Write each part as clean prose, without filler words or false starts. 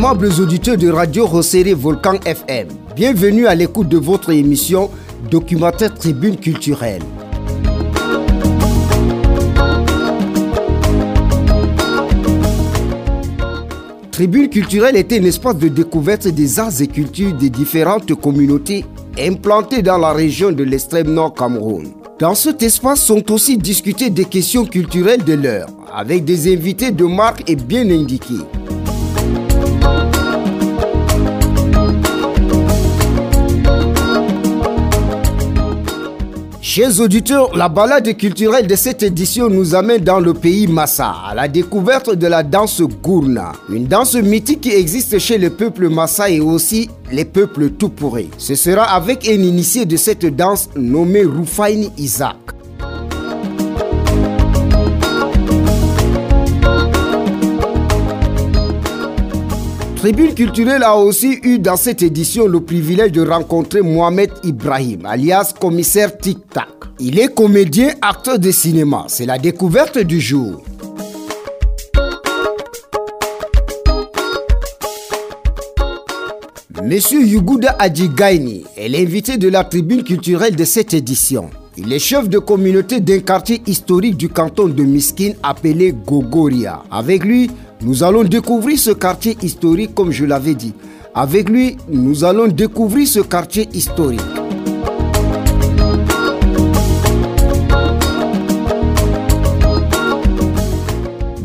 Aimables auditeurs de Radio Rosséré Volcan FM, bienvenue à l'écoute de votre émission Documentaire Tribune Culturelle. Tribune Culturelle était un espace de découverte des arts et cultures des différentes communautés implantées dans la région de l'extrême nord Cameroun. Dans cet espace sont aussi discutées des questions culturelles de l'heure, avec des invités de marque et bien indiqués. Chers auditeurs, la balade culturelle de cette édition nous amène dans le pays Massa, à la découverte de la danse Gourna, une danse mythique qui existe chez le peuple Massa et aussi les peuples Toupouré. Ce sera avec un initié de cette danse nommé Roufaini Isaac. Tribune Culturelle a aussi eu dans cette édition le privilège de rencontrer Mohamed Ibrahim, alias commissaire Tic Tac. Il est comédien, acteur de cinéma. C'est la découverte du jour. Monsieur Yuguda Adjigaini est l'invité de la Tribune Culturelle de cette édition. Il est chef de communauté d'un quartier historique du canton de Miskine appelé Gogoria. Avec lui, nous allons découvrir ce quartier historique comme je l'avais dit. Avec lui, nous allons découvrir ce quartier historique.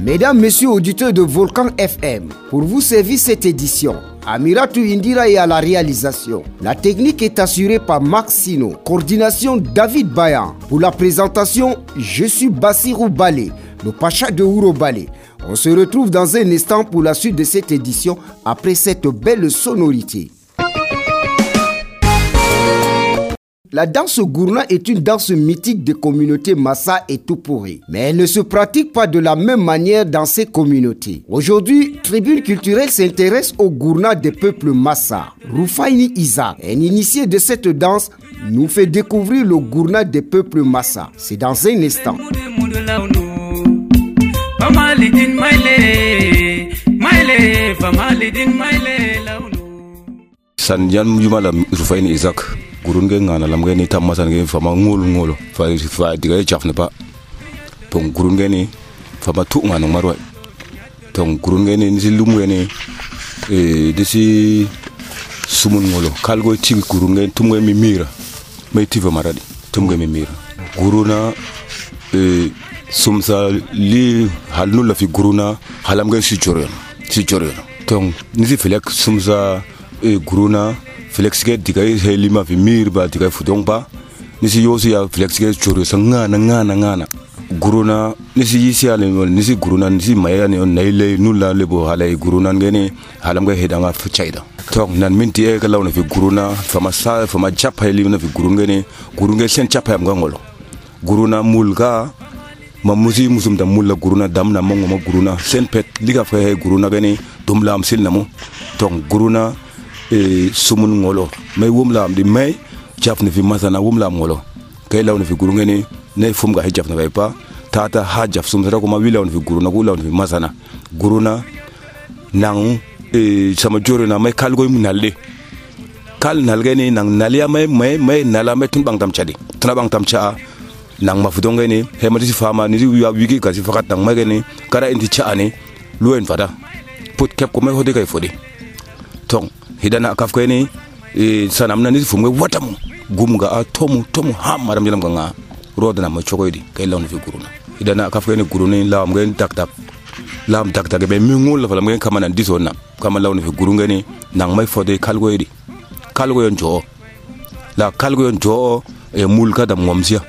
Mesdames, Messieurs auditeurs de Volcan FM, pour vous servir cette édition, Amiratou Indira est à la réalisation. La technique est assurée par Max Sino. Coordination David Bayan. Pour la présentation, je suis Bassirou Balé, le Pacha de Ouro Balé. On se retrouve dans un instant pour la suite de cette édition après cette belle sonorité. La danse Gourna est une danse mythique des communautés Massa et Toupouré, mais elle ne se pratique pas de la même manière dans ces communautés. Aujourd'hui, Tribune Culturelle s'intéresse au Gourna des peuples Massa. Roufaini Isaac, un initié de cette danse, nous fait découvrir le Gourna des peuples Massa. C'est dans un instant. Sandian Mujumala Roufaini Isaac. Gurunge ngana lamge ni tamasa nge fama ngolo fa diga chafne pa ton gurunge ni fama tu ngana marwa ton gurunge ni silumwe ni disi sumun ngolo kalgo ci gurunge tumwe mi mira may tiva maradi tumwe mi mira guruna sumsa li halnu la fi guruna halamge si chorion ton nisi felek sumsa guruna flex ke diga helima fi mir ba diga fudong ba nisi yosi ya flex ke choro ngana guruna nisi yisi ale nisi guruna nisi maya ne naile nula lebo halai guruna ngene halam ga hedanga fu chaida tok nan minti e ka lawna fi guruna fama chapa helima fi gurungene gurunge sen chapa yam ngolo guruna mulga mamusi musum da mulla guruna damna mongo ma guruna sen pet liga fa he guruna gene dumla am silnamo tok guruna sumun ngolo may wumlam di may jafne fi masana wumlam ngolo kay lawne fi guru ngene ne fum ga jafna bay pa tata ha jaf sum tara ko ma wilawne fi guru na ko lawne fi masana guruna nang sama joro na may kal goy munalde kal nalgene nang nalia may nala may tun bang tam chadi tuna bang tam cha nang ma fudo ngene he ma di fama ni wi wigi ka si fakat nang magene kara indi cha ani luen fada put kep ko may hode kay fodi tong hidana kafko ni sanamna ni fumwe watamu gumga a tomu ha maram jelam ganga rodana ma chokoydi kay lawni fi guruna hidana kafko ni guruna lawam ngeen tak be mi ngul la falam ngeen kamana disonna kama lawni fi gurunga ni nang may fode kalgoydi kalgoyon jo e mulka dam ngomsia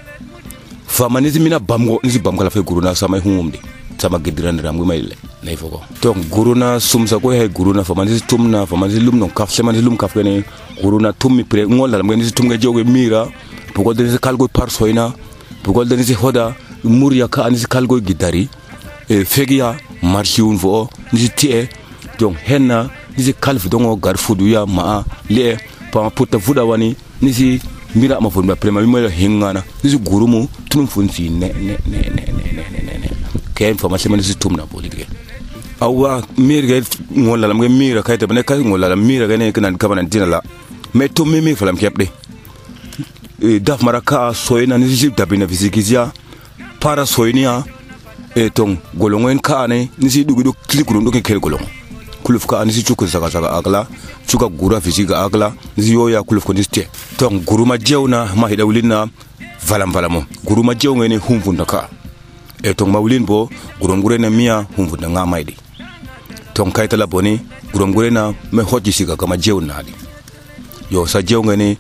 famani mina bamgo ni bam kala fi guruna samay humumdi sama gidiran ram may nay foko to guruna sumsa ko he guruna famani tumna famani lum non kaf semani lum kaf gene guruna tummi pre ngol la ngeni tumga joge mira bugol de kalgo parsoina bugol de hoda murya ka ani kalgo gidari fegia marchiun fo ni tie donc henna ni kalfu dongo garfudu ya ma le pa puta fuda wani ni mira ma fo prema mi mo hingana ni gurumu tunum funsi ne ken information man tumna boli de awa mir ga ngola lam ga mira kayta bane kay ngola lam mira ga ne kan kabanan dinala me to me falam kepde daf maraka soyna ni jib dabina fisikizia para soynia tong golongen ka ne ni si dugu klikuru ndo ke golong kuluf ka ni si chuku saka agla chuka gura fisika agla ni si yoya kuluf ko niste tong guruma jewna ma hidawlina valam guruma jewngene humfunda ka tong mawlin bo gurom gurena mia humfunda ngamaydi tong kayta la boni gurom gurena me hoji sika kama jewna di yo sa jewngene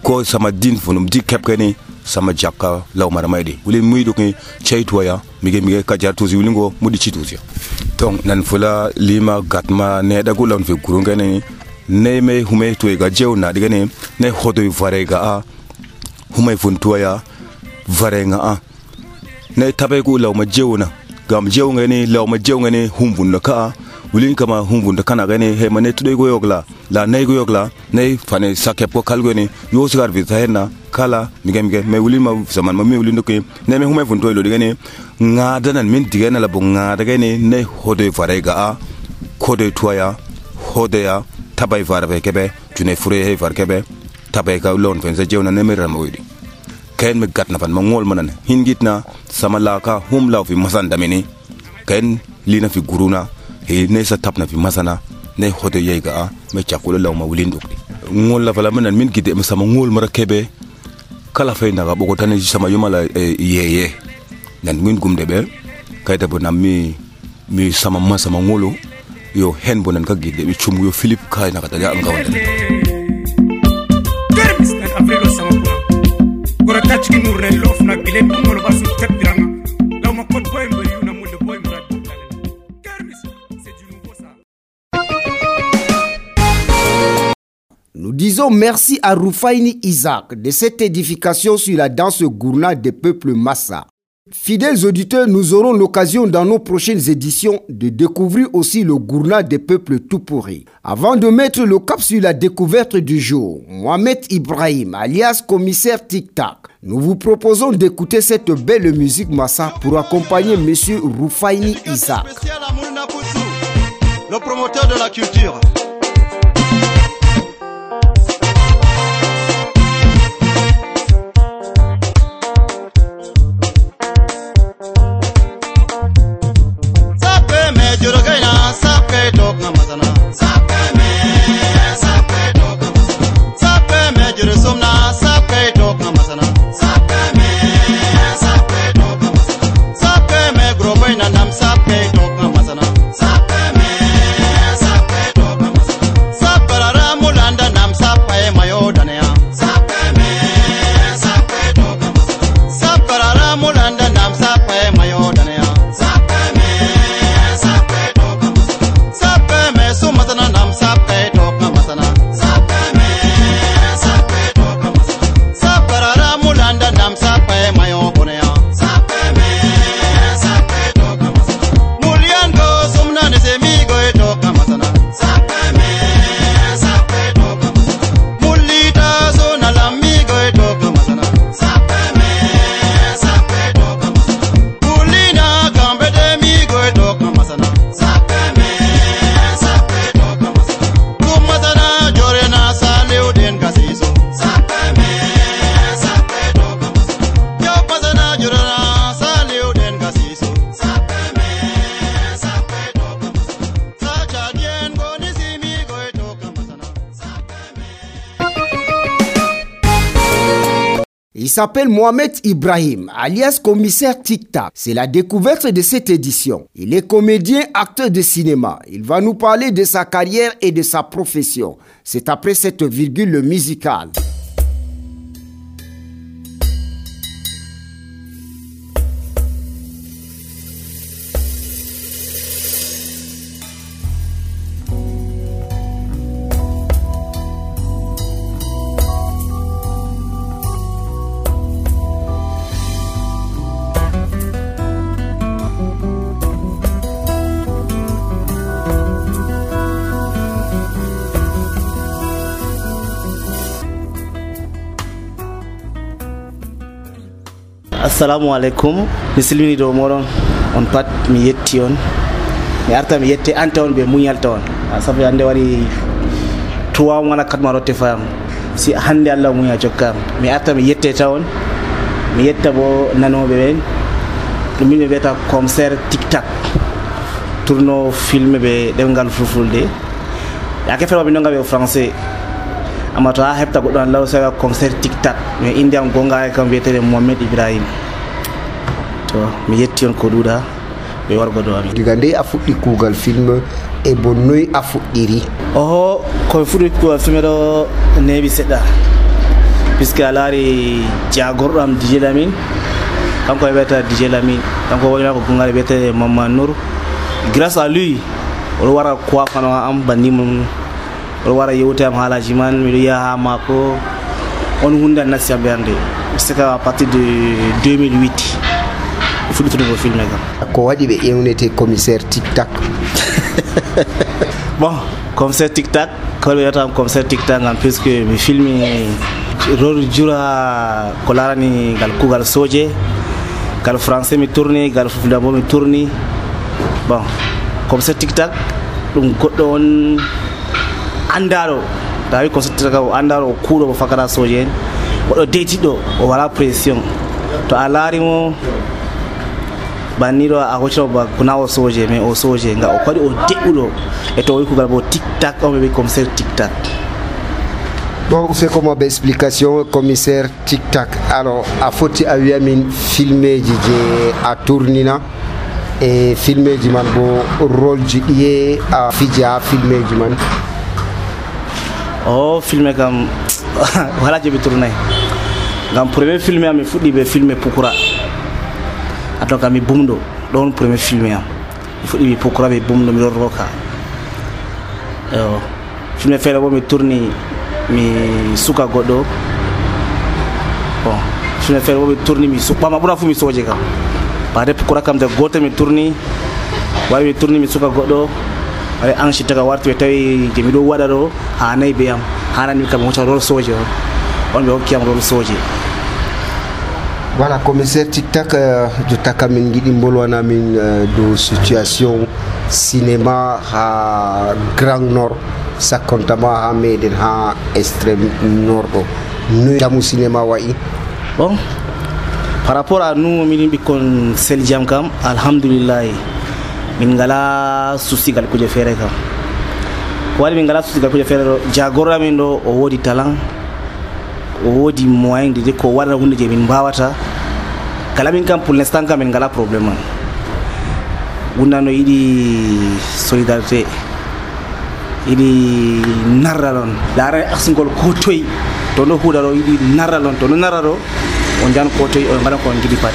ko sama din funum di kepkene sama jakka law mara maydi wulin muydo ke chaytuya mige ka jartu ziwlingo mudi chituzi tong nan fula lima gatma ne da gulon fe gurungene ne me hume to ga jewna digane ne hodo varega a hume funtuya varenga a ne tabe ku law ma jewna gam jewngene law ma jewngene humbunda ka wulin kama humbunda kana gane he mane tude go yogla la nay go yogla nay fane sakep ko kalgone yo sigar vi tahena kala mige me wulin ma zaman ma me wulin doke ne me hume funto lo digane ngada nan min digane la bo ngada gane ne hodo varega a kodo tuya hodeya tabay varbe kebe tune fure he var kebe tabay ka lon fen se jewna ne me ramoydi ken me gatna fan ma ngol manan hingitna sama laka hum law fi masan damini ken lina fi guruna he ne sa tapna fi masana ne hodo yega a me chakula law ma wulin dokdi ngol la fala manan min gide sama ngol mara kebe kala fay ndaga boko tane sama yumala yeye nan min gumde be kayta bo nam mi sama masama ngolo yo hen bonan ka gide be chum yo Philip kay na kata ya ngawande termis na afrilo sama kuna gora tach ki murne lof na gile ngolo basu tepiranga law ma kod boy mo yuna mo de boy murad termis c'est du nouveau ça. Nous disons merci à Roufaini Isaac de cette édification sur la danse gourna des peuples Massa. Fidèles auditeurs, nous aurons l'occasion dans nos prochaines éditions de découvrir aussi le gourna des peuples Tupuri. Avant de mettre le cap sur la découverte du jour, Mohamed Ibrahim, alias commissaire Tic Tac, nous vous proposons d'écouter cette belle musique Massa pour accompagner monsieur Roufaini Isaac. Le promoteur de la culture. Il s'appelle Mohamed Ibrahim, alias commissaire Tic Tac. C'est la découverte de cette édition. Il est comédien, acteur de cinéma. Il va nous parler de sa carrière et de sa profession. C'est après cette virgule musicale. Assalamu alaikum, misilmini do moron on pat mi yetti on mi arta mi yette anta on be muñal tawon sabu hande wari 3 mois 4 mois rotte fam si hande Allah muña jokkam mi arta mi yette tawon mi yetta bo nanoɓe ɓen ɗum min ɓe wiyata concert tic-tac tourno filme ɓe ɗemngal fulfulde yake fewa min ɗonga ɓe français amma to ha heɓta goɗɗo an law sawa concert tic-tac mais inde am gonga e kam wiyetede Mohamed Ibrahim to mi yetti on ko ɗuuɗa ɓe wargo do amin diga nde a fuɗɗi kuugal film e bo noy a fuɗɗiri oho komi fuɗɗi kuugal film ɗo neeɓi seɗɗa puisque a laari jagorɗo am DJ Lamine kanko e wiyata DJ Lamine kanko wonima ko gongaɗe wiyetede Mamadou Nour grâce à lui oɗo wara kuwafano am banni mum oɗo wara yewte am haalaji man miɗo yiya ha mako on hunde an nasti am ɓernde c'est qu'à partir de 2008 fuɗɗitude ko filme kam ko waɗi ɓe ƴewnete commissaire tic-tac bon commissaire tic-tac ko wiyata commissaire tic-tac ngam puisque mi filmi rôle jura ko larani ngal kuugal soje ngal français mi tourni ngal fulfulde bo mi tourni bon commissaire tic-tac ɗum goɗɗo on andaɗo tawi commissaire tic-tac o andaɗo o kuuɗo mo fakata soje en goɗɗo deytiɗo o wala pression to a laarimo banniɗo a hoccino ba kona o soje mais o soje nga o waɗi o deɓɓuɗo e to o wi kuugal bo tic-tac on ɓe wi commissaire tic-tac. Bon, c'est comme une explication, commissaire tic-tac. Alors, a foti a wiyamin filmeji je a tournina e filmeji man bo rôle ji ɗiye a fiji ha filmeji man. Oh, filme kam wala je ɓe tournay ngam premier filme am mi fuɗɗi ɓe filme Pukura ato kam mi bumɗo ɗon premier filme am mi fuɗɗi ɓe Pukura ɓe bumɗo miɗon roka filme feere bo mi tourni mi suka goɗɗo bon filme feere bo mi tourni mi ɓama ɓura fu mi soje kam bade Pukura kam de gotel mi tourni wawi mi tourni mi suka goɗɗo waɗa anchi taga warti ɓe tawi je miɗo waɗa ɗo ha nayi be am hanani kam mi hocca rôle soje on ɓe hokkiyam rôle soje. Voilà, commissaire tic-tac, jotta kam min giɗi bolwana min do situation cinéma ha Grand Nord sakkontama ha meɗen ha extrême nord ɗo noy damu cinéma wayi. Bon par rapport à nous min ɓikkon sel jam kam alhamdoulillahi min ngala souci gal kuje feere kam ko waɗi min ngala souci gal kuje feere ɗo jagorɗo amin ɗo o woodi talent o woodi moyen de ko waɗata hunde je min mbawata kala min kam pour l'instant kam min ngala probléme man wonnano yiɗi solidarité yiɗi narralon laara aksingol ko toyi to no huuɗa ɗo yiɗi narralon to no narra ɗo on jan ko toyi o ngaɗa ko on giɗi pat.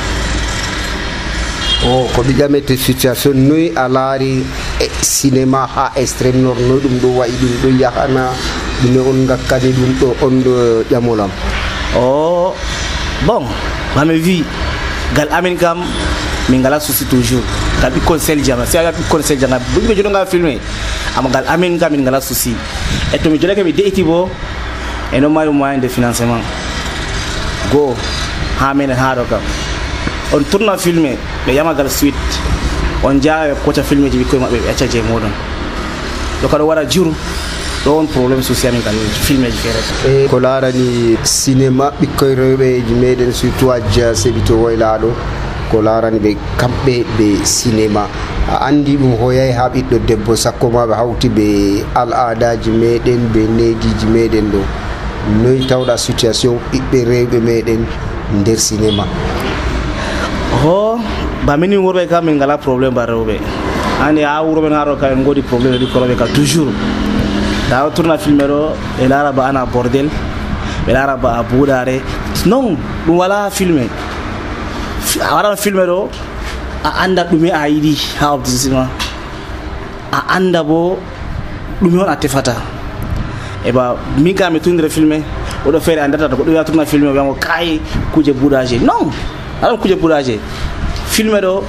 O ko ɓiƴamete situation noyi a laari cinéma ha extrême nord noy ɗum ɗo wayi ɗum ɗo yahana ɗume on gakkani ɗum ɗo on ɗo ƴamolam. O bon mami wi gal amin kam min ngala souci toujours gal ɓikkon sel jama si a ɓikkon sel jama ɓe joɗoga filmé amma gal amin kam min ngala souci e to mi joɗake mi de'iti bo e non mari moyen de financement goo ha menen ha ɗo kam on tourna filmé ɓe yamagal suite on jaa ɓe kocca filmé ji ɓikkoye maɓɓe ɓe acca je moɗon ɗo kaɗo waɗa jur ɗo on probléme souci amin kan filmé ji feere ko laarani cinéma ɓikkoye rewɓeji meɗen surtout a jeya seɓito woylaɗo ko laarani ɓe kamɓe ɓe cinéma a andi ɗum hoyay ha ɓiɗɗo debbo sakko ma ɓe hawti ɓe al adaji meɗen ɓe nediji meɗen ɗo noy tawɗa situation ɓiɓɓe rewɓe meɗen nder cinéma. ho ba minin worɓe kam min ngala probléme ba rewɓe andi ha wuro men haɗo kam en godi probléme ɓikkon rewɓe kam toujours ta tourna filmé ɗo ɓe laara ba ana bordel ɓe laara ba a buuɗare non ɗum wala filmé a waɗano filmé ɗo a anda ɗume a yiɗi ha objectif a anda bo ɗume on a tefata e ba min kam mi tournire filmé oɗo feere andata to goɗɗo wiya tourna filmé o wiyamo kay kuje buuɗaje non aɗon kuje buuɗaje filmé ɗo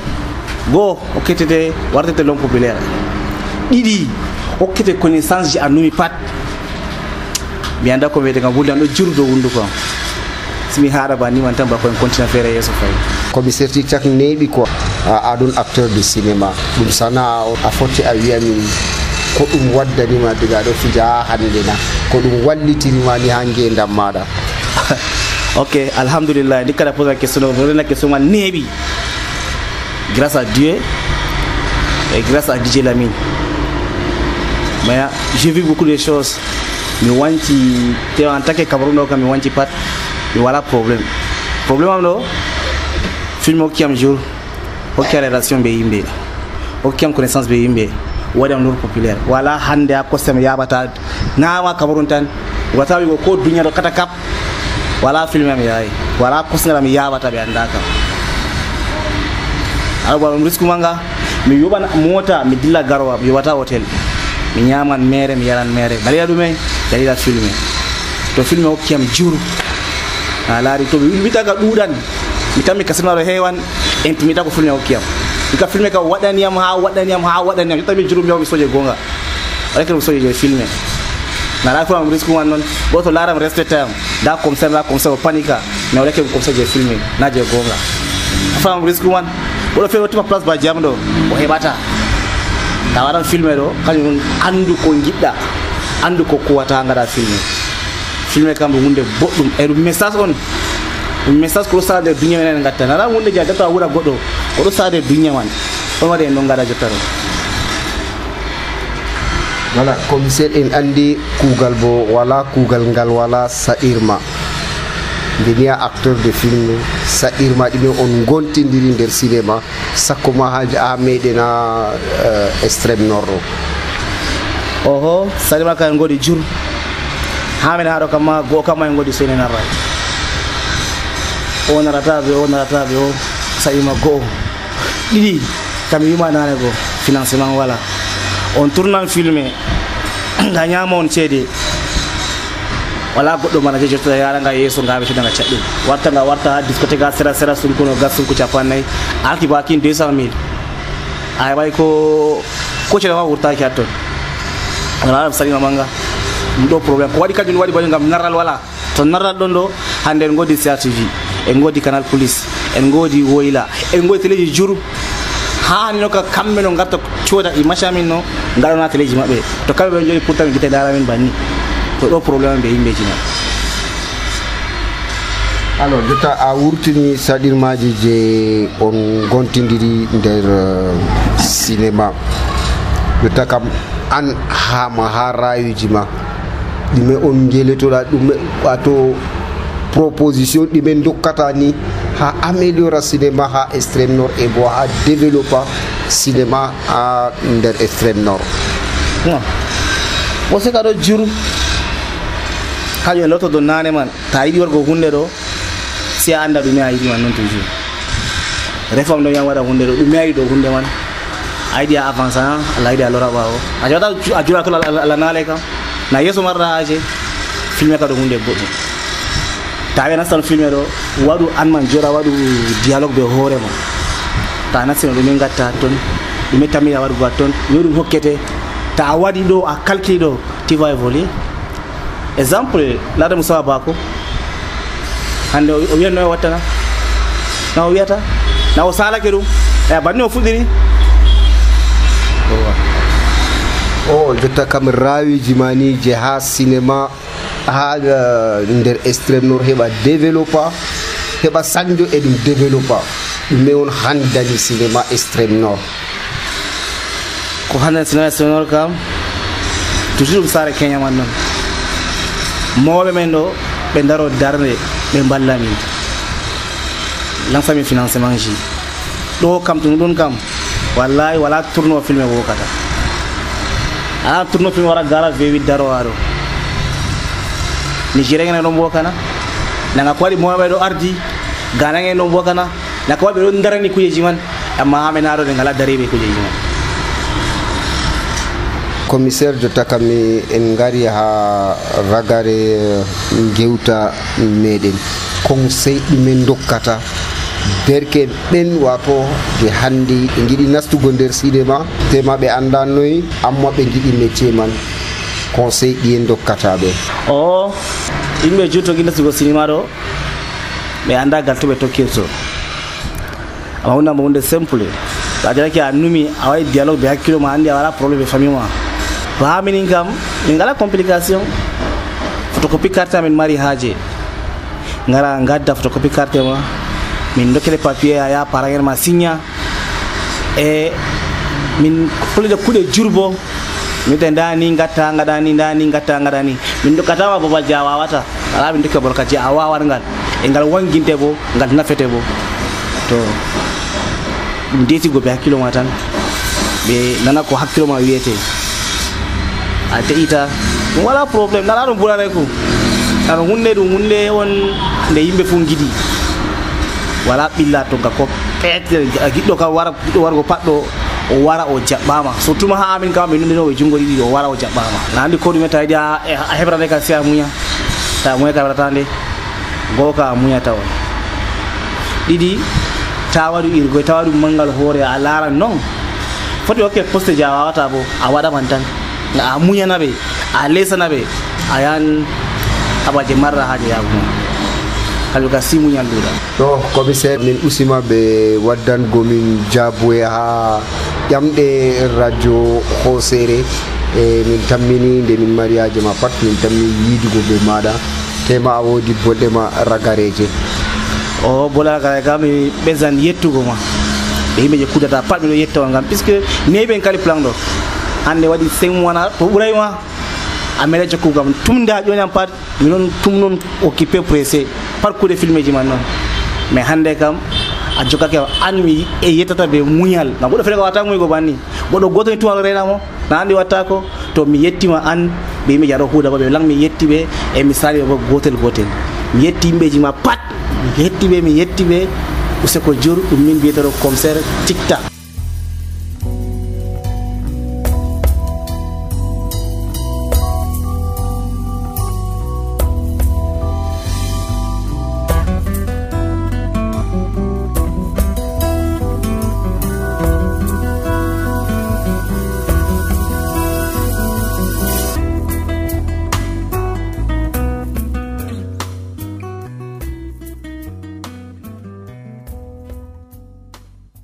goo o kettete wartete long populaire ɗiɗi hokkete connaissance ji annumi pat mi anda ko wiyete kam wulde an ɗo jurdo wunduko am simi haɗa ba niman tan ba koyen continue feere yeeso fayi commissaire tic-tac neeɓi quoi aɗon acteur de cinéma ɗum sana'a a foti a wiya min ko ɗum waddanima diga ɗo fija ha hande na ko ɗum wallitirima ni ha ngendam maɗa? Ok, alhamdulillah, dès qu'elle a posé la question, la question m'a nébi. Grâce à Dieu et grâce à DJ Lamine. Mais j'ai vu beaucoup de choses. Mais en tant que Cameroun, mais wanti pas. Mais voilà problème. Problème non. Film qui am jour, aucune relation béimbe, aucune connaissance béimbe. Wada nur populaire. Voilà hande a kosem yabata. Na wa Cameroun tan. Wata wi ko dunya do kata kap. Wala film am yayi. Wala kosnga mi yabata be andaka. Alba risku manga mi yoba mota mi dilla garwa mi yobata hotel mi nyaman mere mi yaran mere dalila dume dalila filme to filme o kiam juru alari to mi taga dudan mi tammi kasima do hewan intimita ko filme o kiam dika filme ka wadani am ha tammi juru mi soje gonga rek mi soje filme na la ko am risku wan non boto laram respect am da comme ça panika mais rek ko soje filme na je gonga fam risku wan bodo fe wotima place ba jamdo o hebata tawaran filme do kanyum andu ko gidda andu ko kuwata ngada filme kam hunde boddum e message on message ko sade dunya men ngatta na hunde jagata wura goddo ko do sade dunya man on wade no ngada jottaro. Voilà, commissaire en andi kugal bo wala kugal ngal wala sairma denia acteur de film sairma dime on gontindiri der cinéma sakoma haji a medena extrême nord oho sairma kan ngodi jur hamen hado kama go kama ngodi sene na ray on rata be o sairma go didi kam yuma nane go financement wala on tourne filmé nganyama on cede wala goddo mana je jotta yara nga yeso ngabe to daga caddi warta discothèque sera sun kono gasun ku chapanay alki bakin 200,000 ay bay ko cede wa wurta ki atto wala sari manga ndo problem ko wadi kadin wadi bani ngam naral wala to naral dondo hande ngodi CRTV e ngodi canal police en ngodi woyla en ngodi teleji juru ha ni no ka kambe no ngatta choda i mashamin no ngalo na teleji mabbe to kambe joni pourtant gite dara min banni to do problème be yimbe jina. Alors jota a wurtini sadirmaji je on gontindiri der cinéma jota kam an hama ha rayuji ma dime on geletoda dum wato proposition dime dokkata ni ha améliora cinéma ha extrême nord et bo ha développer cinéma à der extrême nord. Non. Mo se kado juru hayo loto do nane man ta yidi wargo hunde do si anda dum ayidi man non toujours réforme do yan wada hunde do dum ayidi do hunde man ayidi avance la ayidi alora bawo ajota ajura to la nale kam na yeso marra aje filme ka do hunde boddo tawe na san filme do wadu an man jora wadu dialogue be hore mo ta na sino dum ngatta ton dum tammi wadu gaton yodu hokkete ta wadi do a calcul do ti va évoluer. Exemple la de Moussa Bako hande o wiyanno wattana na o wiyata na o sala kedu e banni o fudiri o jotta kam rawiji mani je ha cinéma ha der extrême nord heba développer heba sanjo e dum développer mais on handani cinéma extrême nord ko hande cinéma extrême nord kam toujours sare Kenya man non mobe men do be daro darne be ballami lansami financement ji do kam to don kam wallahi wala tourno filme wo kata a tourno film wara gara vewi daro waro ni jere ngene no kana nanga kwali mobe do ardi gana ngene no kana na ko be do ndarani kujeji man amma amenaro de ngala daribe kujeji man. Commissaire jota kami en ngari ha ragare gewta meden conseil men dokkata derke ben wato de handi e ngidi nastugo der cinéma tema be andanoy amma be ngidi métier man conseil di en dokkata be o imbe jutto gina sugo cinéma do be anda galto be tokkirto amma hunde mo hunde simple to a jaraki a numi a waɗi dialogue ɓe hakkilo ma anndi a wala probléme ɓe famille ma to ha minin kam min ngala complication photocopie carte amin mari haaje ngara ngadda photocopie carte ma min dokkele papier a ya paragen ma signa e min kulide kuɗe jurbo mite ndani ngatta ngaɗani ndani ngatta ngaɗani min dokkatama babal je a wawata ala min dokka bolka je a wawat ngal e ngal wanginte bo ngal nafete bo to ɗum detigo ɓe hakkilo ma tan ɓe nana ko hakkilo ma wiyete a teƴita ɗum wala probléme nala ɗum ɓurane ko ano hunde ɗum hunde on nde yimɓe fu giɗi wala ɓilla to ga ko peete giɗɗo kam wara giɗɗo wargo paɗɗo o wara o jaɓɓama surtout ma ha amin kam ɓe nundinoɓe jungo ɗiɗi o wara o jaɓɓama na andi ko ɗume tawiɗi a heɓrande ka si a muña ta muña ka heɓrata nde goo ka a muñata on ɗiɗi ta waɗu irgoy ta waɗu mangal hoore a laara non foti hokke poste je a wawata bo a waɗaman tan a muñana ɓe a lesana ɓe a yan abaje marra haaje yaguma kamɓe ka si muñal ɗuɗa to commissaire min usima ɓe waddangomin jaaboye ha ƴamɗe radio hosere e min tammini nde min mari haaje ma pat min tammi yiidugo ɓe maɗa tema a woodi boɗɗe ma ragareje o bola ragare kam mi ɓesdan yettugo ma ɓe yimɓe je kuddata pat miɗo yettawa ngam puisque neɓen kali plan ɗo hande waɗi 5 mois to ɓurayma a meɗa jokkugo kam tumde ha ƴoni am pat minon tum noon occupé pressé par kuuɗe filme ji man noon mais hande kam a jokkake an mi e yettata ɓe muñal ngam ɓoɗo fele ko wata muygo banni goɗɗo goto ni tumal renamo na andi watta ko to mi yettima an ɓe yimɓe jaɗo huuda ba ɓe lang mi yetti ɓe e mi sali ɓe bo gotel gotel mi yetti yimɓeji ma pat mi yetti ɓe useko jur ɗum min mbiyetero commissaire tikta.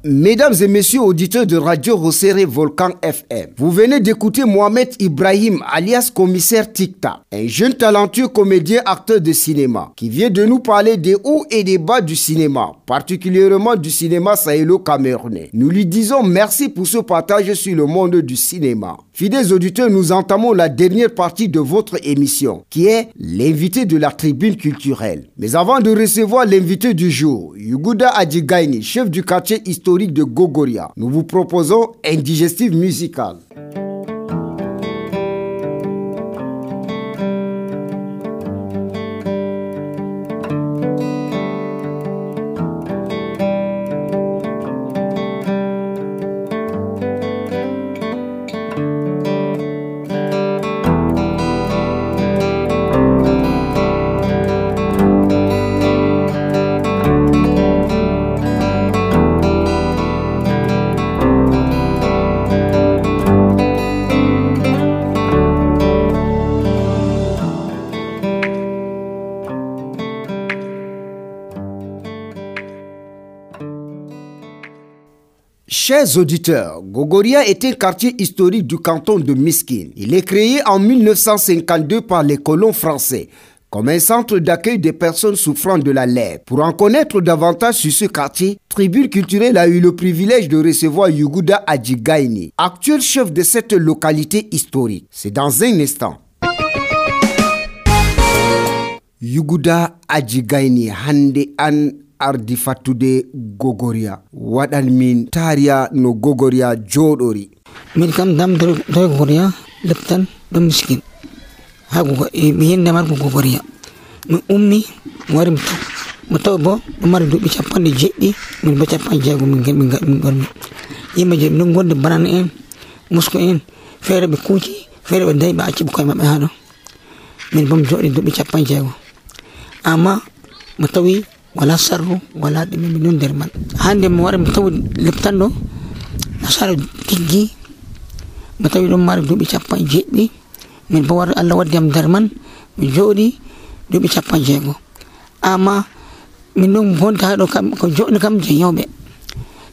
Mesdames et messieurs auditeurs de Radio Rosséré Volcan FM, vous venez d'écouter Mohamed Ibrahim alias Commissaire Tikta, un jeune talentueux comédien acteur de cinéma qui vient de nous parler des hauts et des bas du cinéma, particulièrement du cinéma sahélo-camerounais. Nous lui disons merci pour ce partage sur le monde du cinéma. Fidèles auditeurs, nous entamons la dernière partie de votre émission, qui est l'invité de la tribune culturelle. Mais avant de recevoir l'invité du jour, Yuguda Adjigaini, chef du quartier historique de Gogoria, nous vous proposons un digestif musical. Chers auditeurs, Gogoria est un quartier historique du canton de Miskine. Il est créé en 1952 par les colons français comme un centre d'accueil des personnes souffrant de la lèpre. Pour en connaître davantage sur ce quartier, Tribune culturelle a eu le privilège de recevoir Yuguda Adjigaini, actuel chef de cette localité historique. C'est dans un instant. Yuguda Adjigaini hande an ardi fattude Gogoria waɗan min tariya no Gogoria jooɗori. Min kam dam do Gogoria leptan do Miskin ha mi yende mar Gogoria mi ummi mi wari mi taw bo ɗo mari duuɓi 70 min bo 60 min gormi yimɓe je ɗum gonde banane en musko en feere ɓe kuuci feere ɓe dayi ɓe acci ɓe koye maɓɓe ha ɗo min bo mi jooɗi duuɓi 60 amma mi tawi wala sarru wala ɗume mi non nder man hande mi wara mi tawi leptan ɗo nasara tiggi mi tawi ɗon mari duuɓi 70 min bo wara Allah waddi am nder man mi jooɗi duuɓi 60 amma min ɗon bonta ha ɗo kam ko joɗi kam je yawɓe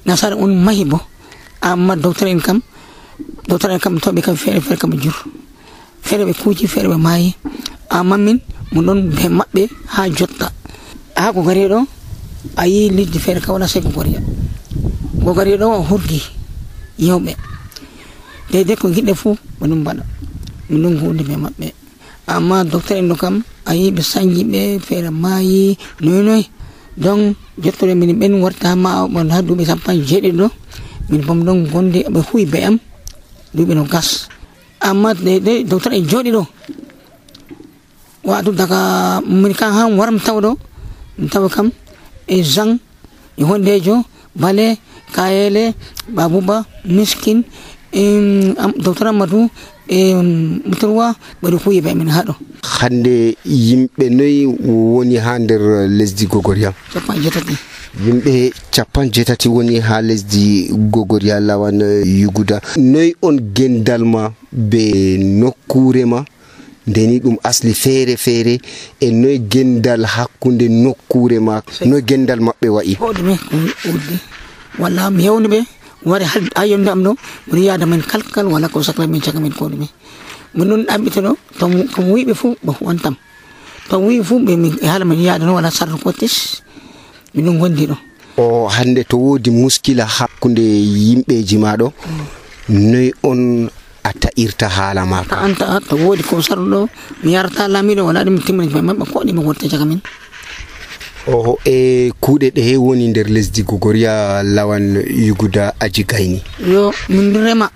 nasara on mahi bo amma docteur en kam to be kam fere kam jur fere be kuuji fere be mayi amma min mo don be mabbe ha jotta ha ko gari do ayi liddi fere ka wala se ko gari do hurgi yewbe de ko gidde fu bonum bana min hunde be mabbe amma docteur en do kam ayi be sangi be fere mayi noy donc jottore min ben warta ma on ha dubi sampan jedi do min bom don gonde be huyi be am dubi no gas amma de docteur en jodi do waadu daga min kan han waram tawdo taw kam e jang e hondejo bale kayele babuba miskin docteur Amadou mutarwa bari huyi be min hado hande yimbe noy woni ha nder lesdi Gogoria yimbe 70 woni ha lesdi Gogoria lawan yuguda noy on gendalma be nokkure ma deni dum asli fere e noy gendal hakkunde nokkure ma noy gendal mabbe wa'i hodme wala mi yewni be wari hal ayonde am do mi yaada men kalkal wala ko sakla min chaka min ko dum min non ambitano to ko wiibe fu ba wantam to wi fu be min hala min yaada no wala sar ko tis min non gondi do o hande to wodi muskila hakkunde yimbeji maado noy on ata irta hala maka anta to wodi ko sardo mi yarta lamido wala dum timmin mabbe ko di mi worta chaka min o e kuude de woni nder lesdi Gogoria lawan yuguda aji gayni yo min rema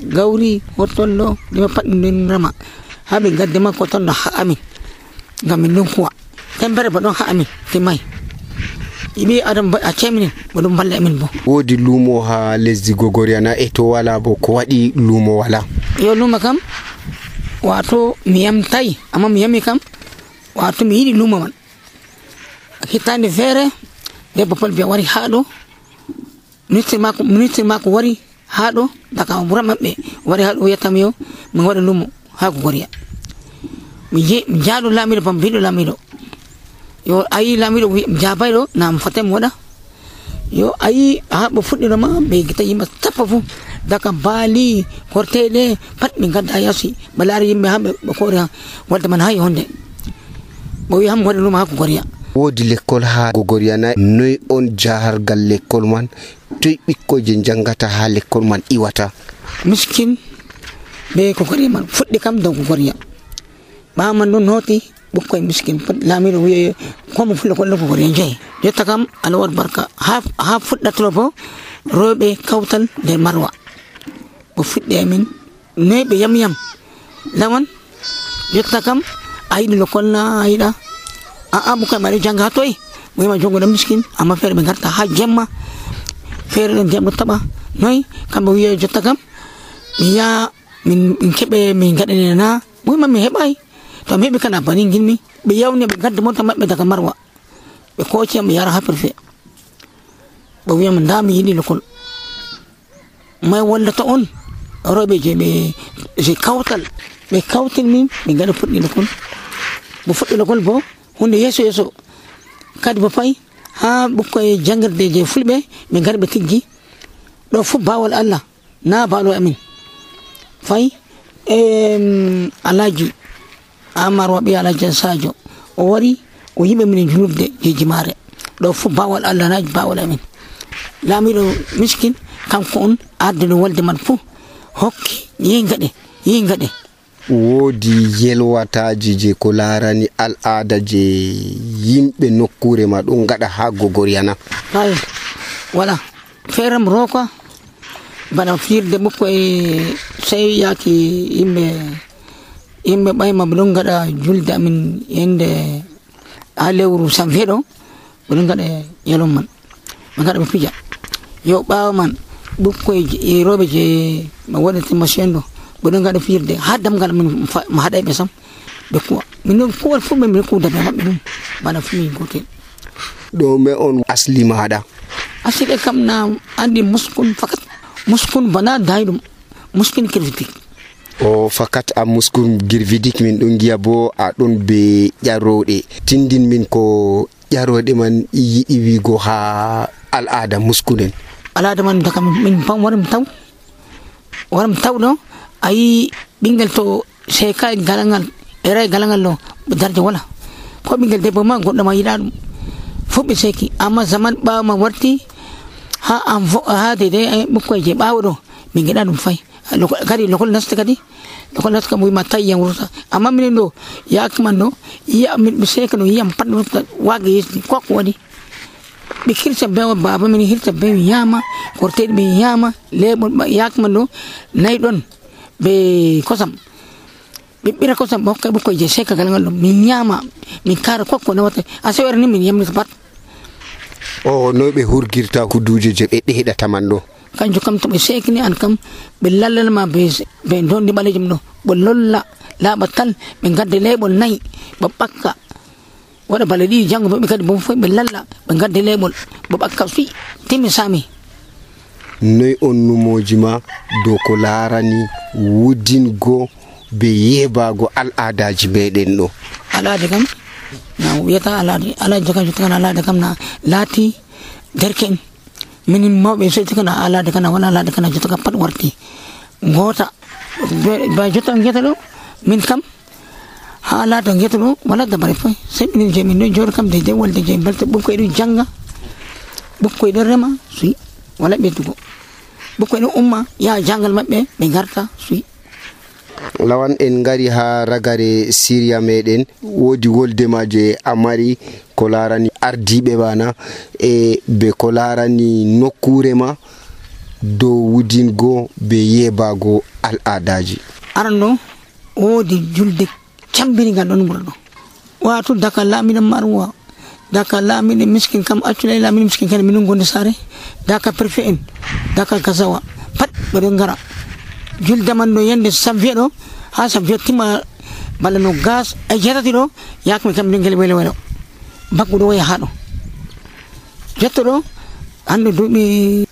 gawri hotollo dima pat min rema habe gadde makko ton ha amin ngam min non kuwa tembere ba don ha amin timay ibi adam a chemini bodum balle amin bo wodi lumo ha lesdi Gogoria na e to wala bo ko wadi lumo wala yo luma kam wato miyam tay amma miyami kam wato mi yidi lumo man hitande fere de bopal bi wari haado ministre mako wari haado daga bura mabbe wari haado yatamiyo mi wada lumo ha Gogoria mi jaado lamido pam bido lamido yo ayi lamido jabaydo nam fatem wada yo ayi ha bo fuddiro ma be gita yimba tapafu daga bali hortede pat mi gadda yasi balari yimbe hambe ko wadda man hay honde bo wi ham wada luma ha Gogoria wodi l'école ha Gogoria na noy on jahargal l'école man toy bikkoje jangata ha l'école man iwata miskin be Gogoria man fuddi kam do Gogoria ba man non hoti bukkoy miskin lamido wi ko mo fulo ko Gogoria jey jotta kam alawar barka ha fudda trobo robe kawtal de marwa bo fudde min nebe yam lawan jotta kam aydi l'école na ayda bukan mari jangga toy moy ma jongo dam miskin amma fere be garta ha gemma fere den dem taba noy kambe wiye jotta kam mi ya min kebe min gadane na moy ma mi hebay to mi be kana bani ngilmi be yawne be gadde mota mabbe daga marwa be ko ci am yara ha perfe bo wiye man dami yidi lekol may walla to on robe je be je kawtal be kawtal min be gada fuddi lekol bo fuddi lekol bo hunde yeso kadi ba fay ha bukkoy jangarde je fulbe mi garbe tiggi do fu bawal Allah na balo amin fay alaji amar wabi alaji sajo o wari o yimbe min julubde je jimare do fu bawal Allah na bawal amin lamido miskin kanko on arde walde man fu hokki yingade wodi yelwataji je ko larani al'ada je yimbe nokkure ma don gada ha Gogoria na ay wala feram roko bana firde bukko e sey yaki imbe bay ma don gada julde amin yende alewru samfedo don gada yelom man gada fija yo bawo man bukko e robe je ma wonati machendo bodon gada firde haddam gal min ma haday be sam be ko min ko fu min ko da mabbe bana fu min gotel do me on asli maada asli kam na andi muskun fakat muskun bana daydum muskin kirvidik o fakat am muskun girvidik min don giya bo a don be jarode tindin min ko ƴaroɗe man yiɗi wigo ha al'ada muskunen? Al'ada man daga min pam waram taw ɗo ayi ɓingel to seka galangal era galangal ɗo darde wala ko ɓingel debbo ma goɗɗo ma yiɗa ɗum fof ɓe seki amma zaman ɓawo ma warti ha dede ɓukkoye je ɓawo ɗo min geɗa ɗum fay kadi lokol nasta kam wima tawi yiyam wurta amma minen ɗo yakman ɗo ɓe seka ɗo yiyam pat wurta wage yesdi koko waɗi ɓe hirta be baba min hirta be mi yama korteɗe ɓe yama leɓol yakman ɗo nayi ɗon ɓe kosam ɓe ɓira kosam ɓe hokka ɓukkoye je seka galangal ɗo min yama min kara kokko nawata a sewere ni min yamnita pat. O no ɓe hurgirta kuduje je ɓe ɗeɗata man ɗo? Kanjum kam to ɓe sekini an kam ɓe lallanma ɓe dondi ɓalejum ɗo ɓe lolla laaɓa tal ɓe gadde leɓol nayi ɓe ɓakka waɗa bale ɗiɗi janggo ɓe kadi bo fof ɓe lalla ɓe gadde leɓol ɓe ɓakka fi timmi sami. Noy on numoji ma dow ko larani wudingo be yebago al'adaji meɗen ɗo? Al'ada kam na wiyata al'ada kam jottakan al'ada kam na laati derken min mawɓe so jottaka al'ada kana wala al'ada kana jottaka pat warti gota ba jotta ngeta ɗo min kam ha al'ada ngeta ɗo wala dabare foy sai min je min ɗo joɗo kam de wolde je balte ɓukkoye ɗo janga ɓukkoye ɗo rema suyi wala ɓeddugo ɓukkoye ɗo umma yaha jangal maɓɓe ɓe garta suyi. Lawan en ngari ha ragare Syria meɗen wodi woldema je amari ko larani ardiɓe bana e be ko larani nokkure ma dow wudingo be yebago al'adaji. Aran ɗo wodi julde cambinigal ɗon wuro ɗo wato daka lamiɗo marwa daka lamiɗo miskin kam accula lamiɗo miskin kene minin gonde sare daka préfet en daka gazawa pat ɓeɗo ngara julde man ɗo yande samvier ɗo ha samvier timma balla no gas e jetati ɗo yakmi kam minen gel welo bakku ɗo waya ha ɗo jetto ɗo hande duuɓi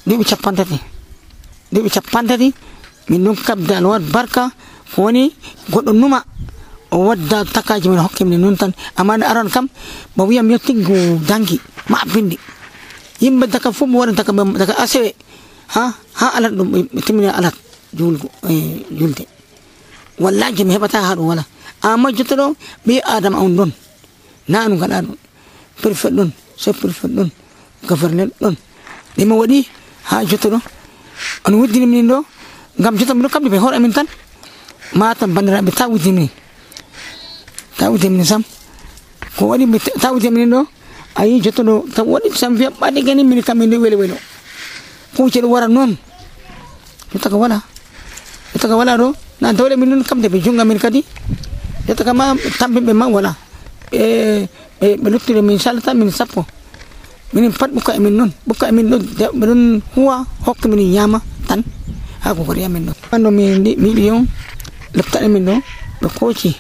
capantati min ɗon kabde alwad barka ko woni goɗɗo numa o wadda takaji men hokke minen noon tan amma nde aran kam mo wiyam yo tiggo dangi ma bindi yimɓe daka fof mo waɗa daga asewe ha alat ɗum ɓe timmina alat julde wallahi mi heɓata ha ɗum wala amma jotta ɗo ɓi adama on ɗon nanu gaɗa ɗum préfet ɗon chef préfet ɗon gouverneur ɗon ɗimo waɗi ha jotta ɗo on wuddini minin ɗo gam jotta miɗo kamɗe ɓe hoore amin tan matan bandiraɓe ta wuddini minin sam ko waɗi ta wuddini minin ɗo ayi jotta ɗo taw waɗi sam wiya ɓaɗi gani min kam min ɗo welo kuuce ɗo wara noon jotta ko wala ɗo na dawle min noon kamde ɓe junga min kadi jotta kama tampinɓe ma wala ɓe luttire min salata min sappo minin pat ɓukka emin noon ɓukka emin ɗo ɓe ɗon huwa hokka min ñama tan ha ko kori amin ɗo ando mi yiɗi on leptaɗe min ɗo ɓe kooci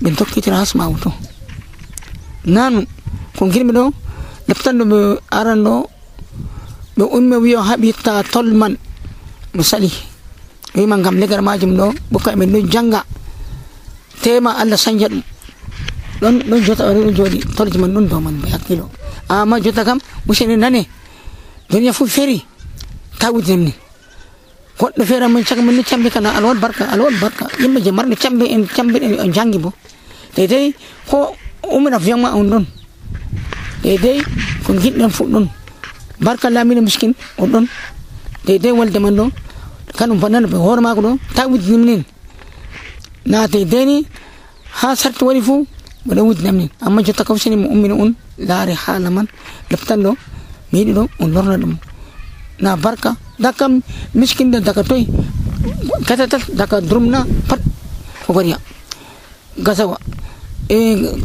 ɓe dokkitira hasma wuto nanu ko girmi ɗo leptanɗo ɓe aran ɗo ɓe ummi wiyo haɓitta tol man mo sali wima gam legar majum ɗo ɓukka emin ɗo janga tema Allah sanja ɗum ɗon jota ɗo jooɗi tolji man ɗon dow man ɓe hakkilo amma jota kam useni nane duniya fof feri ta wudinem ni goɗɗo feere min caka min no cambi kana alwal barka yimɓe je marɓe cambi en jangi bo dedei ko umina viyan ma on ɗon dedei ko giɗɗon fof ɗon barka lamino miskin on ɗon dedei wolde man ɗo kanum fannano ɓe hoore mako ɗo ta wuddinim nin na dedei ni ha sarti waɗi fuu ɓeɗo wuddinam nin amma jotta ka useni mo ummino on laare haala man leptan ɗo mi yiɗi ɗo on lorna ɗum na barka daka miskinde daka toy katatal daka drumna pat ko goriya gasawa e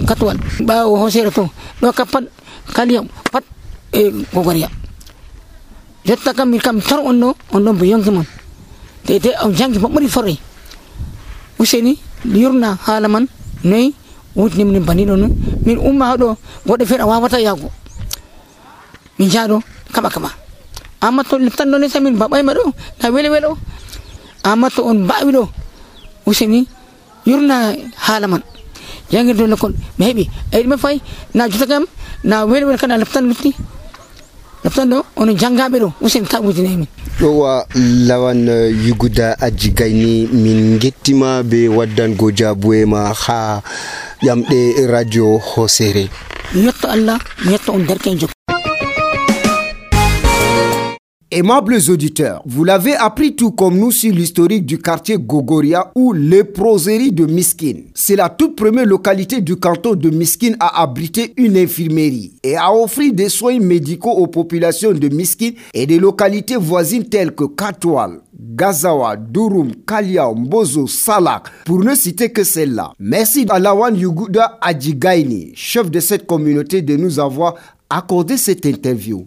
katwal ɓawo hosere to ɗo ka pat kaliyam pat e ko goriya jotta kam min kam tor on ɗon bo yonki mon te on jangi mo ɓuri forre useni yurna haala man noyi wutnim ni baniɗo no min umma haɗo goɗɗo feere a wawata yago min jaaɗo kaɓa amma to tan ɗo lesa min baɓayma ɗo na welo amma to on mbawi ɗo useni yurna haala man Yang do lokon maybe me fay na jutagam na wel kana laftan lufti laftan do on jangabe do usen tabutine min wa lawan yuguda ajigaini min gettima be waddan gojabuwe ma ha yamde radio hosere yetto Allah yetto on derkenjo. Aimables auditeurs, vous l'avez appris tout comme nous sur l'historique du quartier Gogoria ou léproserie de Miskine. C'est la toute première localité du canton de Miskine à abriter une infirmerie et à offrir des soins médicaux aux populations de Miskine et des localités voisines telles que Katoual, Gazawa, Durum, Kaliao, Mbozo, Salak, pour ne citer que celle-là. Merci à Lawan Yuguda Adjigaini, chef de cette communauté, de nous avoir accordé cette interview.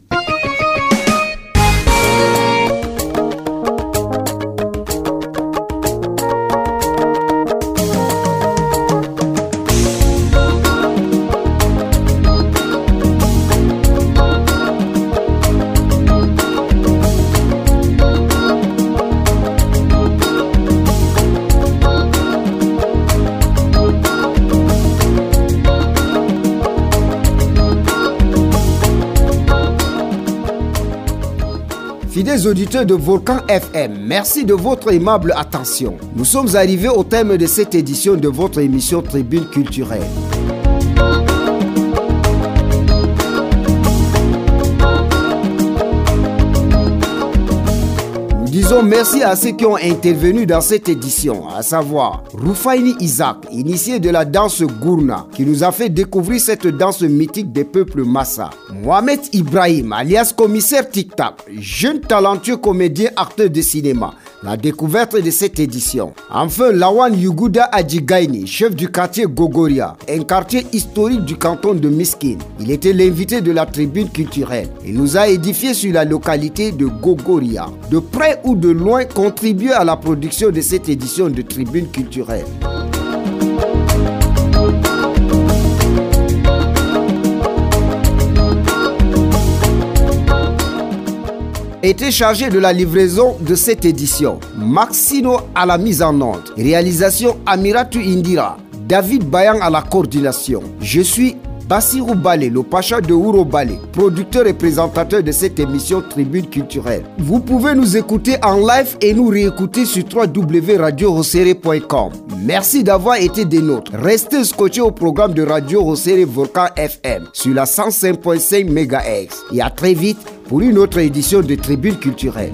Fidèles auditeurs de Volcan FM, merci de votre aimable attention. Nous sommes arrivés au terme de cette édition de votre émission Tribune culturelle. Disons merci à ceux qui ont intervenu dans cette édition, à savoir Roufaini Isaac, initié de la danse Gourna, qui nous a fait découvrir cette danse mythique des peuples Massa. Mohamed Ibrahim, alias commissaire Tic Tac, jeune talentueux comédien acteur de cinéma, la découverte de cette édition. Enfin, Lawan Yuguda Adjigaini, chef du quartier Gogoria, un quartier historique du canton de Miskine. Il était l'invité de la tribune culturelle. Il nous a édifié sur la localité de Gogoria. De près ou de loin, contribué à la production de cette édition de tribune culturelle. Était chargé de la livraison de cette édition. Maxino à la mise en onde. Réalisation Amiratu Indira. David Bayan à la coordination. Je suis Bassirou Balé, le Pacha de Ouro Balé, producteur et présentateur de cette émission Tribune culturelle. Vous pouvez nous écouter en live et nous réécouter sur www.radiohosere.com. Merci d'avoir été des nôtres. Restez scotchés au programme de Radio Hosere Volcan FM sur la 105.5 MHz. Et à très vite pour une autre édition de Tribune culturelle.